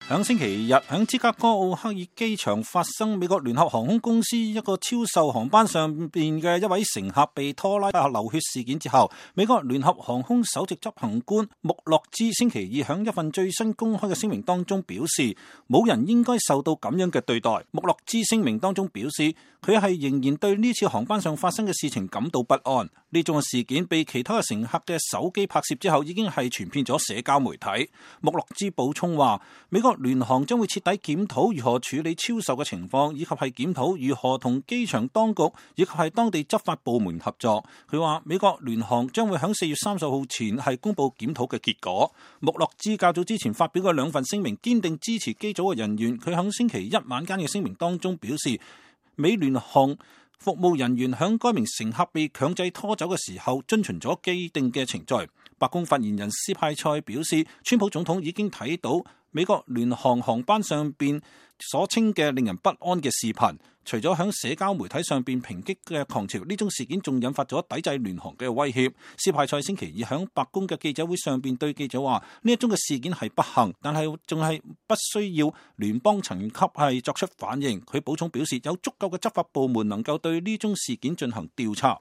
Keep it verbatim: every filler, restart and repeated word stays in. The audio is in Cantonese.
響星期日，響芝加哥奧克爾機場發生美國聯合航空公司一個超售航班上邊嘅一位乘客被拖拉流血事件之後，美國聯合航空首席執行官穆洛茲星期二響一份最新公開嘅聲明當中表示，冇人應該受到咁樣嘅對待。穆洛茲聲明當中表示，佢係仍然對呢次航班上發生嘅事情感到不安。呢種嘅事件被其他嘅乘客嘅手機拍攝之後，已經係傳遍咗社交媒體。穆洛茲補充話，美國聯航將會徹底檢討如何處理超售嘅情況，以及係檢討如何同機場當局以及係當地執法部門合作。佢話美國聯航將會喺四月三十號前係公布檢討嘅結果。穆洛茲較早之前發表嘅兩份聲明，堅定支持機組嘅人員。佢喺星期一晚間嘅聲明當中表示，美聯航服務人員響該名乘客被強制拖走嘅時候，遵循咗既定嘅程序。白宮發言人斯派塞表示，川普總統已經睇到美國聯航航班上邊所稱嘅令人不安嘅視頻，除咗響社交媒體上邊抨擊嘅狂潮，呢宗事件仲引發咗抵制聯航嘅威脅。斯派塞星期二響白宮嘅記者會上邊對記者話，呢一宗嘅事件係不幸，但係仲係不需要聯邦層級係作出反應。佢補充表示，有足夠嘅執法部門能夠對呢宗事件進行調查。